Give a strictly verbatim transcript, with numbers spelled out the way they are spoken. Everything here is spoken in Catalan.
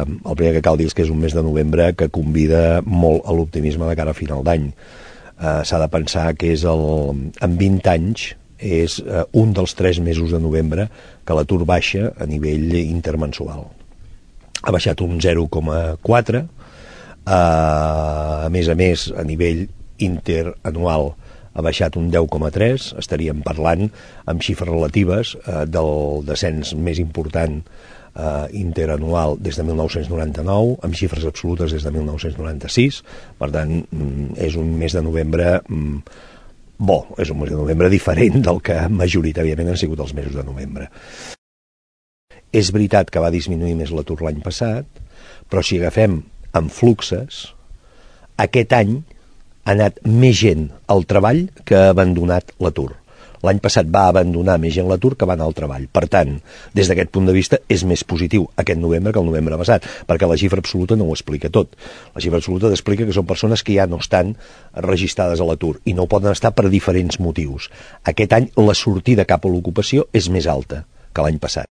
El primer que cal dir és que és un mes de novembre que convida molt a l'optimisme de cara a final d'any. Uh, S'ha de pensar que és el, en vint anys és uh, un dels tres mesos de novembre que l'atur baixa a nivell intermensual. Ha baixat un zero coma quatre, uh, a més a més a nivell interanual ha baixat un deu coma tres, estaríem parlant amb xifres relatives uh, del descens més important Uh, interanual des de mil nou-cents noranta-nou, amb xifres absolutes des de mil nou-cents noranta-sis. Per tant, mm, és un mes de novembre mm, bo, és un mes de novembre diferent del que majoritàriament han sigut els mesos de novembre. És veritat que va disminuir més l'atur l'any passat, però si agafem en fluxes, aquest any ha anat més gent al treball que ha abandonat l'atur. L'any passat va abandonar més gent l'atur que va anar al treball. Per tant, des d'aquest punt de vista, és més positiu aquest novembre que el novembre passat, perquè la xifra absoluta no ho explica tot. La xifra absoluta explica que són persones que ja no estan registrades a l'atur i no ho poden estar per diferents motius. Aquest any la sortida cap a l'ocupació és més alta que l'any passat.